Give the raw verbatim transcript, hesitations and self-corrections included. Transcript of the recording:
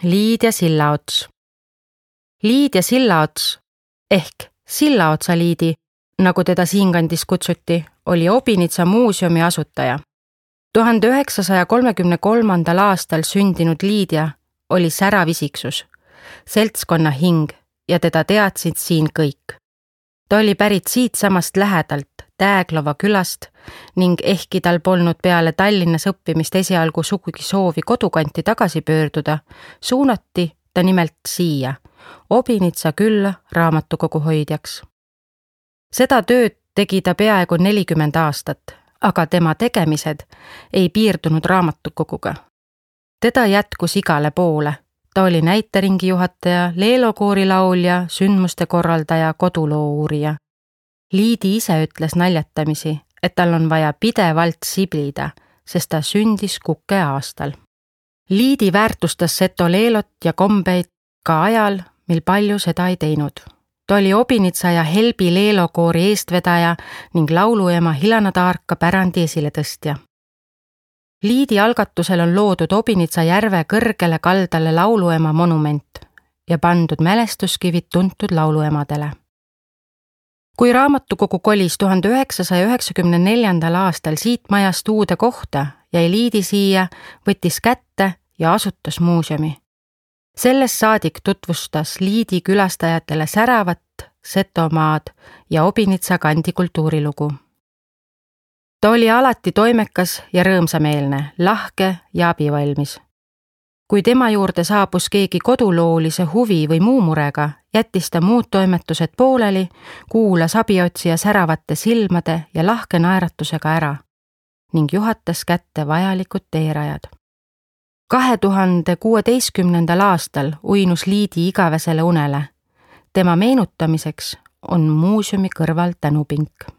Liid ja sillaots. Liid ja sillaots ehk Sillaotsa Liidi, nagu teda siinkandis kutsuti, oli Obinitsa muuseumi asutaja. tuhande üheksasaja kolmekümne kolmandal aastal sündinud Liidia oli särav isiksus, seltskonna hing ja teda teadsid siin kõik. Ta oli pärit siitsamast lähedalt, Tääglova külast ning ehkki tal polnud peale Tallinnas õppimist esialgu sugugi soovi kodukanti tagasi pöörduda, suunati ta nimelt siia, Obinitsa külla raamatukogu hoidjaks. Seda tööd tegi ta peaaegu nelikümmend aastat, aga tema tegemised ei piirdunud raamatukoguga. Teda jätkus igale poole. Ta oli näiteringi juhataja, leelokoori laulja, sündmuste korraldaja, koduloo uurija. Liidi ise ütles naljatamisi, et tal on vaja pidevalt siblida, sest ta sündis kuke aastal. Liidi väärtustas seto leelot ja kombeid ka ajal, mil palju seda ei teinud. Ta oli Obinitsa ja Helbi leelokoori eestvedaja ning lauluema Hilana Taarka pärandi esiletõstja. Liidi algatusel on loodud Obinitsa järve kõrgele kaldale lauluema monument ja pandud mälestuskivid tuntud lauluemadele. Kui raamatukogu kolis tuhande üheksasaja üheksakümne neljandal aastal siit majast uude kohta, jäi Liidi siia, võttis kätte ja asutas muuseumi. Sellest saadik tutvustas Liidi külastajatele säravat Setomaad ja Obinitsa kandi kultuurilugu. Ta oli alati toimekas ja rõõmsameelne, lahke ja abivalmis. Kui tema juurde saabus keegi koduloolise huvi või muu murega, jättis ta muud toimetused pooleli, kuulas abiotsija säravate silmade ja lahke naeratusega ära ning juhatas kätte vajalikud teerajad. kahe tuhande kuueteistkümnendal aastal uinus Liidi igavesele unele. Tema meenutamiseks on muuseumi kõrval tänupink.